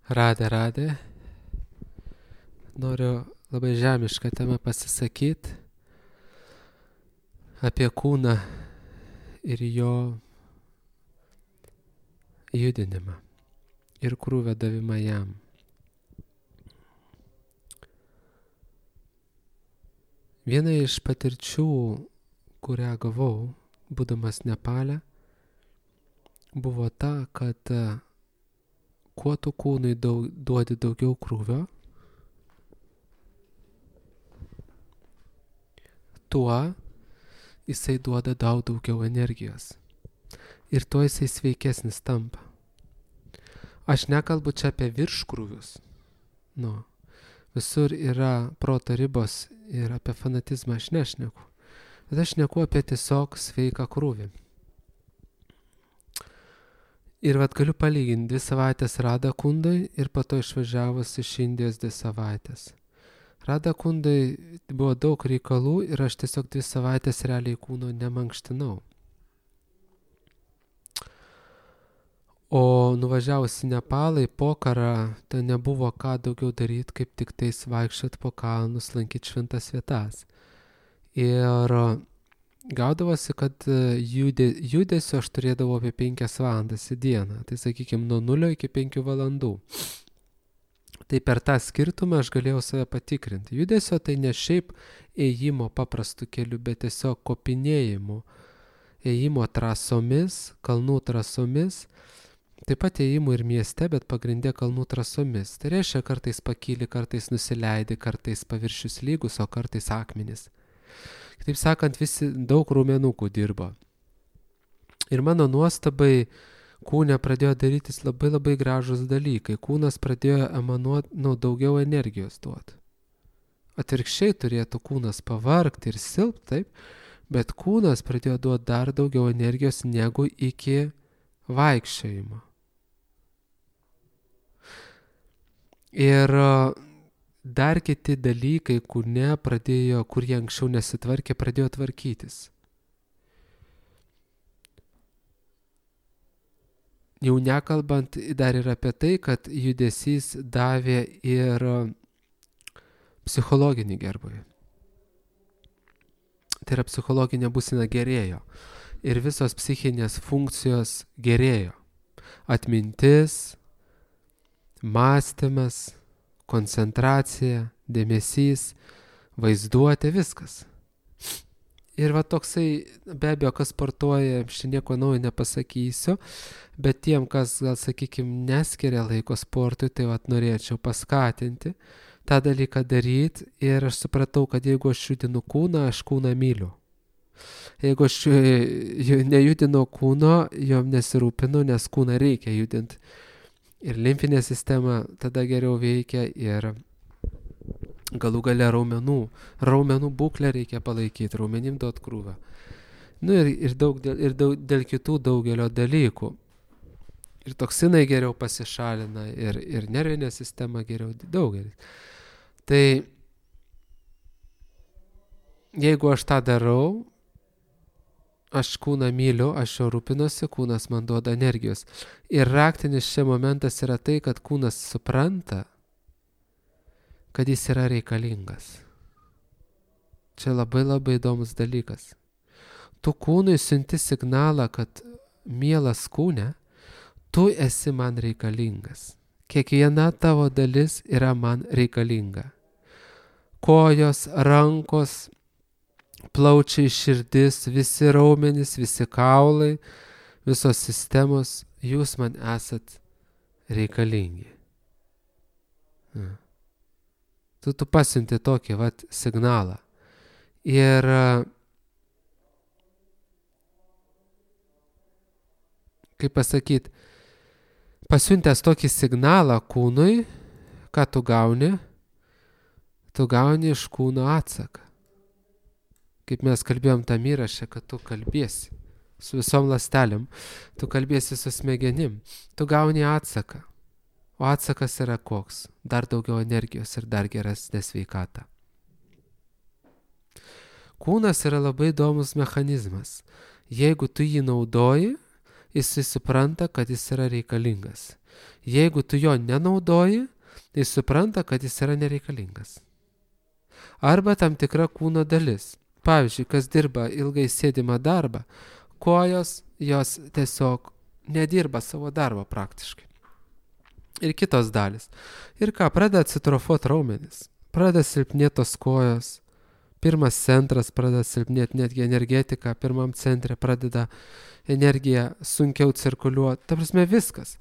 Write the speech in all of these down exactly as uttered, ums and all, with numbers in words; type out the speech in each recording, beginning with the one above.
Radė, radė. Noriu labai žemišką temą pasisakyti apie kūną ir jo judinimą ir krūvio davimą jam. Viena iš patirčių, kurią gavau, būdamas Nepale, buvo ta, kad kuo tu kūnui daug, duodi daugiau krūvio, tuo jisai duoda daug daugiau energijos. Ir tuo jisai sveikesnis tampa. Aš nekalbu čia apie virškrūvius. Nu, visur yra proto ribos ir apie fanatizmą aš nešneku. Bet aš šneku apie tiesiog sveiką krūvį. Ir vat galiu palyginti dvi savaitės Radha Kundai ir po to išvažiavus iš Indijos dvi savaitės. Radha Kundai buvo daug reikalų ir aš tiesiog dvi savaitės realiai kūno nemankštinau. O nuvažiavus į Nepalą, į Pokarą, ten nebuvo ką daugiau daryti, kaip tik tais vaikščiot po kalnus, lankyti šventas vietas. Ir gaudavosi, kad judė, judesio aš turėdavau apie penkias valandas į dieną. Tai sakykime, nuo nulio iki penkių valandų. Tai per tą skirtumą aš galėjau save patikrinti. Judesio tai ne šiaip ėjimo paprastų kelių, bet tiesiog kopinėjimų. Ėjimo trasomis, kalnų trasomis. Taip pat ėjimų ir mieste, bet pagrindė kalnų trasomis. Tai reiškia, kartais pakyli, kartais nusileidi, kartais paviršius lygus, o kartais akmenys. Kitaip sakant, visi daug raumenukų dirbo. Ir mano nuostabai kūne pradėjo darytis labai labai gražus dalykai. Kūnas pradėjo emanuoti, nu, daugiau energijos duoti. Atvirkščiai turėtų kūnas pavargti ir silpti, taip, bet kūnas pradėjo duoti dar daugiau energijos negu iki vaikščiojimo. Ir dar kiti dalykai, kur ne pradėjo, kur jie anksčiau nesitvarkė, pradėjo tvarkytis. Jau nekalbant dar ir apie tai, kad judesys davė ir psichologinį gerbūvį. Tai yra psichologinė būsena gerėjo. Ir visos psichinės funkcijos gerėjo. Atmintis, mąstymas, koncentracija, dėmesys, vaizduotė, viskas. Ir va toksai, be abejo, kas sportuoja, aš nieko naujo nepasakysiu, bet tiem, kas, gal sakykime, neskiria laiko sportui, tai va norėčiau paskatinti tą dalyką daryti ir aš supratau, kad jeigu aš judinu kūną, aš kūną myliu. Jeigu aš nejudinu kūno, jom nesirūpinu, nes kūną reikia judinti. Ir limfinė sistema tada geriau veikia ir galų gale raumenų. Raumenų būklę reikia palaikyti, raumenim duot krūvą. Nu ir, ir, daug, ir daug, dėl kitų daugelio dalykų. Ir toksinai geriau pasišalina, ir, ir nervinė sistema geriau daugelis. Tai jeigu aš tą darau, aš kūną myliu, aš jo rūpinuosi, kūnas man duoda energijos. Ir raktinis čia momentas yra tai, kad kūnas supranta, kad jis yra reikalingas. Čia labai labai įdomus dalykas. Tu kūnui siunti signalą, kad mielas kūne, tu esi man reikalingas. Kiekviena tavo dalis yra man reikalinga. Kojos, rankos, plaučiai, širdis, visi raumenys, visi kaulai, visos sistemos, jūs man esat reikalingi. Tu, tu pasiunti tokį vat signalą. Ir kaip pasakyti, pasiuntęs tokį signalą kūnui, ką tu gauni, tu gauni iš kūno atsaką. Kaip mes kalbėjom tam įraše, kad tu kalbėsi su visom ląstelėm, tu kalbėsi su smegenim, tu gauni atsaką. O atsakas yra koks? Dar daugiau energijos ir dar geresnė sveikata. Kūnas yra labai įdomus mechanizmas. Jeigu tu jį naudoji, jis supranta, kad jis yra reikalingas. Jeigu tu jo nenaudoji, tai supranta, kad jis yra nereikalingas. Arba tam tikra kūno dalis. Pavyzdžiui, kas dirba ilgai sėdimą darbą, kojos jos tiesiog nedirba savo darbo praktiškai. Ir kitos dalis. Ir ką, pradeda atsitrofuoti raumenis, pradeda silpnėti tos kojos, pirmas centras pradeda silpnėti, netgi energetika pirmam centre pradeda energija sunkiau cirkuliuoti. Ta prasme viskas.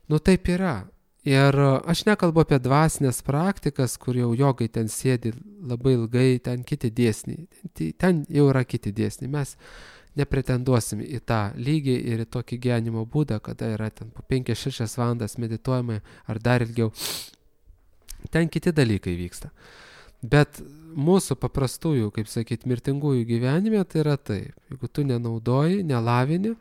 Nu taip yra. Ir aš nekalbu apie dvasinės praktikas, kur jau jogai ten sėdi labai ilgai, ten kiti dėsniai. Ten jau yra kiti dėsniai. Mes nepretenduosim į tą lygį ir į tokį gyvenimo būdą, kada yra ten po penkias šešias valandas medituojama ar dar ilgiau. Ten kiti dalykai vyksta. Bet mūsų paprastųjų, kaip sakyt, mirtingųjų gyvenime tai yra taip. Jeigu tu nenaudoji, nelavini,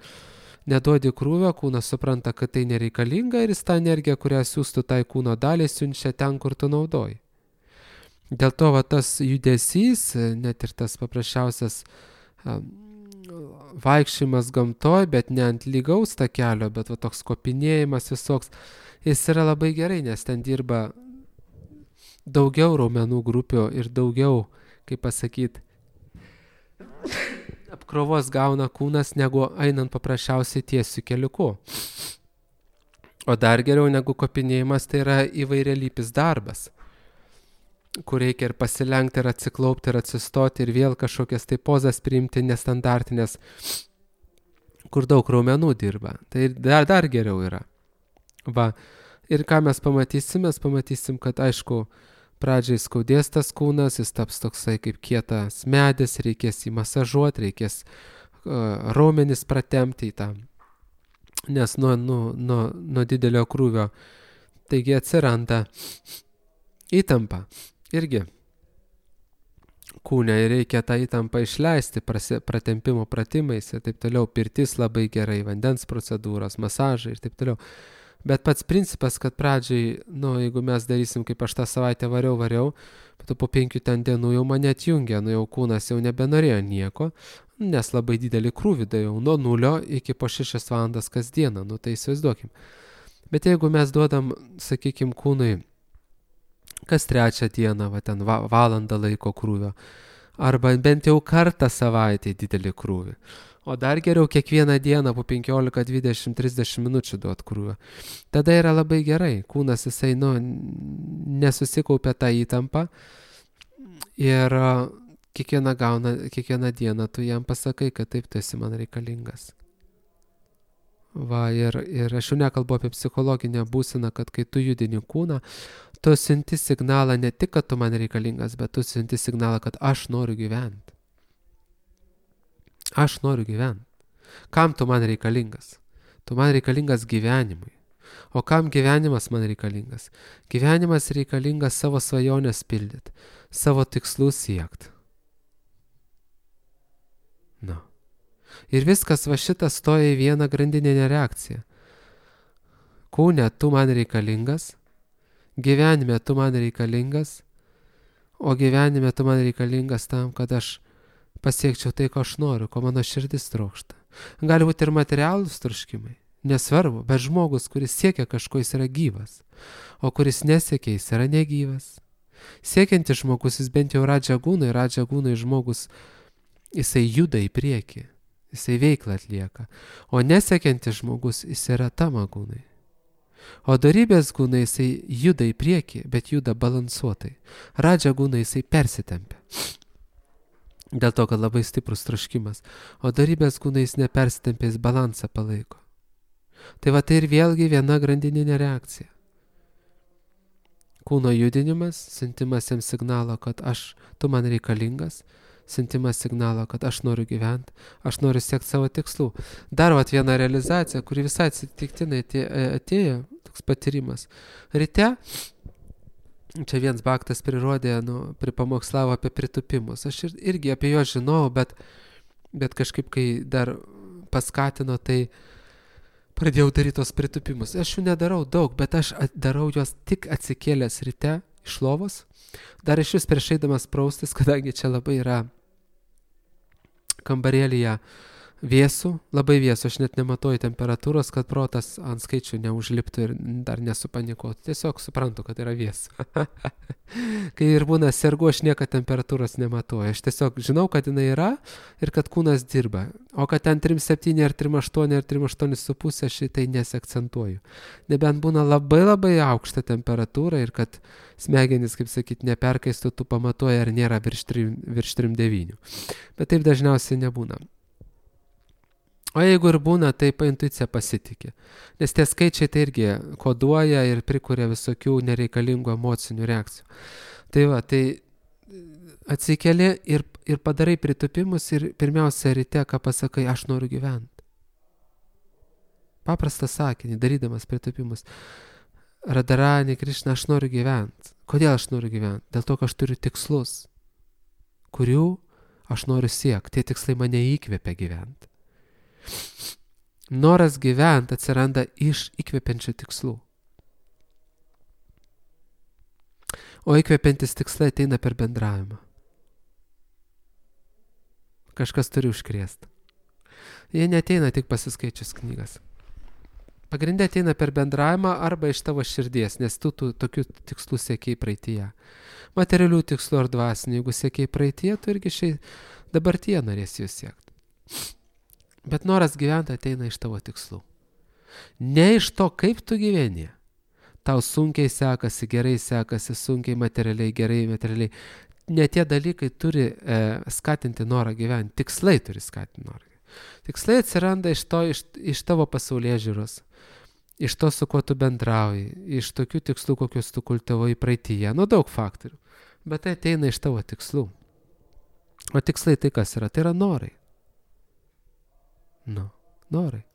neduodi krūvio, kūnas supranta, kad tai nereikalinga ir jis tą energiją, kurią siūstų tai kūno dalį, siunčia ten, kur tu naudoji. Dėl to va, tas judesys, net ir tas paprasčiausias um, vaikščiojimas gamtoj, bet ne ant lygaus takelio, bet va, toks kopinėjimas visoks, jis yra labai gerai, nes ten dirba daugiau raumenų grupių ir daugiau, kaip pasakyti, apkrovos gauna kūnas, negu einant paprasčiausiai tiesiu keliuku. O dar geriau negu kopinėjimas, tai yra įvairialypis darbas, kur reikia ir pasilenkti, ir atsiklaupti, ir atsistoti, ir vėl kažkokias tai pozas priimti nestandartinės, kur daug raumenų dirba. Tai dar, dar geriau yra. Va. Ir ką mes pamatysim? Mes pamatysim, kad aišku, pradžiai skaudės tas kūnas, jis taps toksai kaip kietas medis, reikės jį masažuoti, reikės uh, raumenis pratempti į tą, nes nuo, nuo, nuo, nuo didelio krūvio. Taigi atsiranda įtampa irgi kūne ir reikia tą įtampą išleisti prasi, pratempimo pratimais ir taip toliau. Pirtis labai gerai, vandens procedūros, masažai ir taip toliau. Bet pats principas, kad pradžiai, nu, jeigu mes darysim, kaip aš tą savaitę variau, variau, bet po penkių ten dienų jau mane atjungė, nu jau kūnas jau nebenorėjo nieko, nes labai didelį krūvį daviau, nuo nulio iki po šešias valandas kasdieną, nu tai įsivaizduokim. Bet jeigu mes duodam, sakykim, kūnui kas trečią dieną, va ten va, valandą laiko krūvio, arba bent jau kartą savaitę didelį krūvį, o dar geriau kiekvieną dieną po penkiolika, dvidešimt, trisdešimt minučių duot krūvio. Tada yra labai gerai. Kūnas jisai, nu, nesusikaupia tą įtampą ir kiekvieną, gauna, kiekvieną dieną tu jam pasakai, kad taip, tu esi man reikalingas. Va, ir, ir aš jau nekalbu apie psichologinę būseną, kad kai tu judini kūną, tu siunti signalą ne tik, kad tu man reikalingas, bet tu siunti signalą, kad aš noriu gyventi. Aš noriu gyventi. Kam tu man reikalingas? Tu man reikalingas gyvenimui. O kam gyvenimas man reikalingas? Gyvenimas reikalingas savo svajonės pildyti, savo tikslų siekti. Na. Ir viskas va šitas stoja į vieną grandininę reakciją. Kūne tu man reikalingas, gyvenime tu man reikalingas, o gyvenime tu man reikalingas tam, kad aš pasiekčiau tai, ko aš noriu, ko mano širdis trokšta. Gali būti ir materialūs troškimai, nesvarbu, bet žmogus, kuris siekia kažko, jis yra gyvas, o kuris nesiekia, jis yra negyvas. Siekiantis žmogus, jis bent jau radžagūnai, radžagūnai žmogus, jisai juda į priekį, jisai veiklą atlieka, o nesiekiantis žmogus, jis yra tamagūnai. O dorybės gūnai jisai juda į priekį, bet juda balansuotai. Radžagūnai jisai persitempia. Dėl to, kad labai stiprus troškimas, o dorybės kūnais nepersitempės balansą palaiko. Tai va tai ir vėlgi viena grandininė reakcija. Kūno judinimas, siuntimas jam signalo, kad aš, tu man reikalingas, siuntimas signalo, kad aš noriu gyventi, aš noriu siekti savo tikslų. Dar vat viena realizacija, kuri visai atsitiktinai atėjo, toks patyrimas. Ryte, čia viens baktas prirodė, nu, pripamokslavo apie pritupimus. Aš ir, irgi apie juos žinojau, bet, bet kažkaip, kai dar paskatino, tai pradėjau daryti tos pritupimus. Aš jų nedarau daug, bet aš darau juos tik atsikėlęs ryte iš lovos. Dar iš vis prieš eidamas praustis, kadangi čia labai yra kambarėlyje vėsų, labai vėsų, aš net nematuoju temperatūros, kad protas ant skaičių neužliptų ir dar nesupanikuotų. Tiesiog suprantu, kad yra vėsų. Kai ir būna sergu, aš niekad temperatūros nematuoju. Aš tiesiog žinau, kad jinai yra ir kad kūnas dirba. O kad ten trim septyni ar trim aštuoni ar trim aštuoni su pusė, aš tai nesiakcentuoju. Nebent būna labai labai aukšta temperatūra ir kad smegenys, kaip sakyti, neperkaistų, tu pamatuoji, ar nėra virš trim devynių. Bet taip dažniausiai nebūna. O jeigu ir būna, tai pa intuicija pasitikė. Nes tie skaičiai tai irgi koduoja ir prikuria visokių nereikalingų emocinių reakcijų. Tai va, tai atsikeli ir, ir padarai pritupimus ir pirmiausia ryte, ką pasakai, aš noriu gyventi. Paprastą sakinį, darydamas pritupimus. Radharani Krišna, aš noriu gyventi. Kodėl aš noriu gyventi? Dėl to, kad aš turiu tikslus, kurių aš noriu siekti. Tie tikslai mane įkvepia gyventi. Noras gyventi atsiranda iš įkvepiančių tikslų. O įkvepiantis tikslai ateina per bendravimą. Kažkas turi užkrėsti. Jie neateina tik pasiskaičius knygas. Pagrindė ateina per bendravimą arba iš tavo širdies, nes tu, tu tokių tikslų siekiai praeityje. Materialių tikslų ar dvasinių, jeigu siekiai praeityje, tu irgi šiai dabartyje norėsi jų siekti. Bet noras gyventi ateina iš tavo tikslų. Ne iš to, kaip tu gyveni. Tau sunkiai sekasi, gerai sekasi, sunkiai materialiai, gerai materialiai. Ne tie dalykai turi e, skatinti norą gyventi. Tikslai turi skatinti norą gyventi. Tikslai atsiranda iš, to, iš, iš tavo pasaulėžiūros, iš to, su kuo tu bendrauji, iš tokių tikslų, kokius tu kultivavai praeityje. Nu, daug faktorių. Bet tai ateina iš tavo tikslų. O tikslai tai kas yra? Tai yra norai. Nu, norai.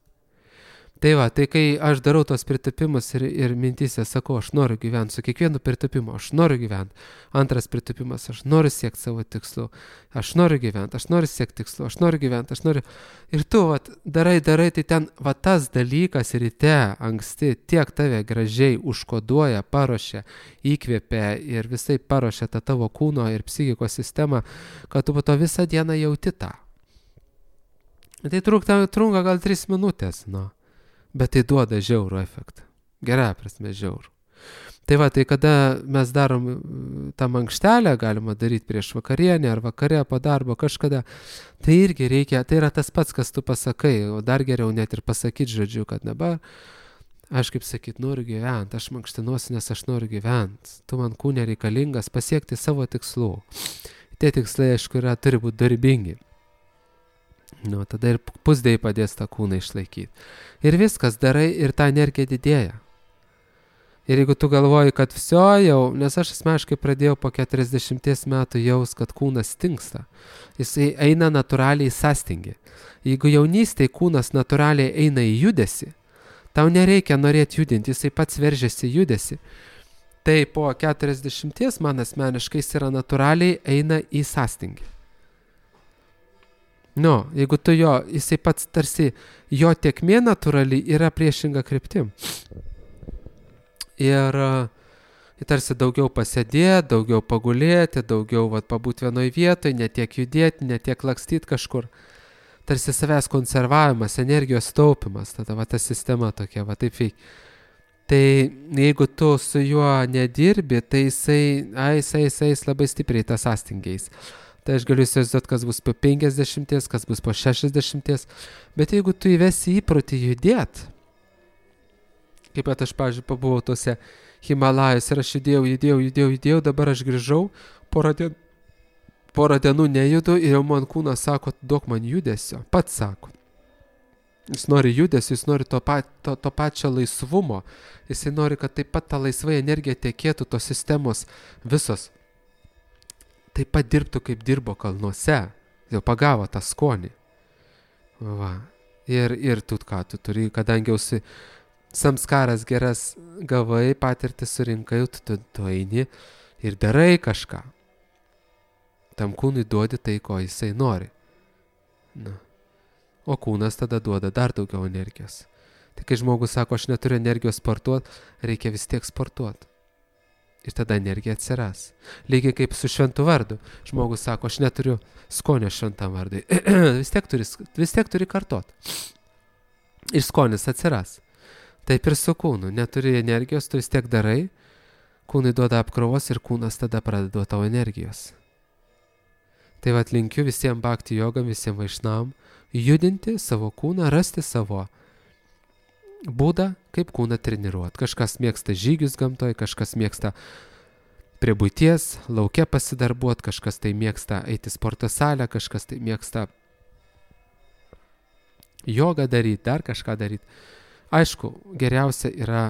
Tai va, tai kai aš darau tos pritupimus ir, ir mintysė sakau, aš noriu gyventi, su kiekvienu pritupimu, aš noriu gyventi. Antras pritupimas, aš noriu siekti savo tikslų, aš noriu gyventi, aš noriu siekti tikslų, aš noriu gyventi, aš noriu. Ir tu, va, darai, darai, tai ten, va, tas dalykas ryte, anksti, tiek tave gražiai užkoduoja, paruošia, įkvėpia ir visai paruošia tą tavo kūno ir psichikos sistemą, kad tu po to visą dieną jauti tą. Tai trunka, trunka gal tris minutės, nu. Bet tai duoda žiaurų efektą. Gerai prasme žiaurų. Tai va, tai kada mes darom tą mankštelę, galima daryti prieš vakarienę ar vakare po darbo kažkada, tai irgi reikia, tai yra tas pats, kas tu pasakai, o dar geriau net ir pasakyti žodžiu, kad dabar aš kaip sakyt, noriu gyventi, aš mankštinuosi, nes aš noriu gyventi. Tu man kūne reikalingas pasiekti savo tikslų. Tie tikslai, aišku, yra, turi būti darbingi. Nu, tada ir pusdėjai padės tą kūną išlaikyti. Ir viskas darai ir ta energija didėja. Ir jeigu tu galvoji, kad viso jau, nes aš asmeniškai pradėjau po keturiasdešimties metų jaus, kad kūnas stingsta. Jisai eina natūraliai sąstingį. Jeigu jaunystėje kūnas natūraliai eina į judesį, tau nereikia norėti judinti, jisai pats veržiasi judesį. Tai po keturiasdešimties man asmeniškai jis yra natūraliai eina į sąstingį. Nu, jeigu tu jo, jisai pats tarsi, jo tėkmė natūraliai yra priešinga kryptim. Ir tarsi daugiau pasėdėti, daugiau pagulėti, daugiau vat, pabūti vienoj vietoj, ne tiek judėti, ne tiek lakstyti kažkur. Tarsi savęs konservavimas, energijos taupimas, tada va ta sistema tokia, va taip veikia. Tai jeigu tu su juo nedirbi, tai jisai, ai, jisai, jisai, jisai labai stipriai tas sąstingiais. Tai aš galiu įsivaizduoti, kas bus po penkiasdešimties, kas bus po šešiasdešimties. Bet jeigu tu įvesi įprotį judėti, kaip pat aš, pavyzdžiui, pabuvau tose Himalajos ir aš judėjau, judėjau, judėjau, judėjau, dabar aš grįžau, porą dienų, porą dienų nejudu ir jau man kūnas sako, duok man judesio, pats sako. Jis nori judesio, jis nori to, pa, to, to pačio laisvumo, jisai nori, kad taip pat ta laisvai energija tekėtų tos sistemos visos. Taip pat dirbtų, kaip dirbo kalnuose, jau pagavo tą skonį. Va. Ir, ir tu ką, tu turi, kadangi jau si samskaras geras gavai, patirtį surinkai, tu, tu, tu eini ir darai kažką. Tam kūnui duodi tai, ko jisai nori. Na. O kūnas tada duoda dar daugiau energijos. Tai kai žmogus sako, aš neturiu energijos sportuoti, reikia vis tiek sportuoti. Ir tada energija atsiras. Lygiai kaip su šventu vardu. Žmogus sako, aš neturiu skonio šventam vardui. vis, tiek turi, vis tiek turi kartot. Ir skonis atsiras. Taip ir su kūnu. Neturi energijos, tu vis tiek darai. Kūnai duoda apkrovos ir kūnas tada pradeda duoti tau energijos. Tai vat linkiu visiems bhakti jogam, visiems vaišnavam judinti savo kūną, rasti savo būdą, kaip kūną treniruoti. Kažkas mėgsta žygius gamtoje, kažkas mėgsta prie buities, lauke pasidarbuoti, kažkas tai mėgsta eiti sporto salę, kažkas tai mėgsta jogą daryti, dar kažką daryti. Aišku, geriausia yra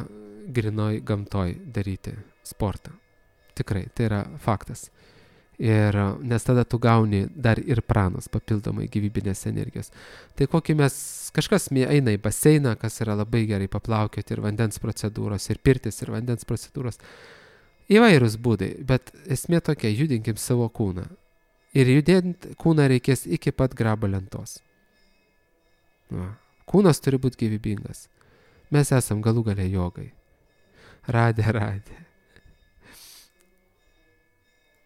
grinoj gamtoj daryti sportą. Tikrai, tai yra faktas. Ir nes tada tu gauni dar ir pranos papildomai gyvybinės energijos. Tai kokį mes, kažkas eina į baseiną, kas yra labai gerai paplaukioti, ir vandens procedūros, ir pirtis, ir vandens procedūros. Įvairūs būdai, bet esmė tokia, judinkim savo kūną. Ir judint kūną reikės iki pat grabo lentos. Va. Kūnas turi būti gyvybingas. Mes esam galų gale jogai. Radė, radė.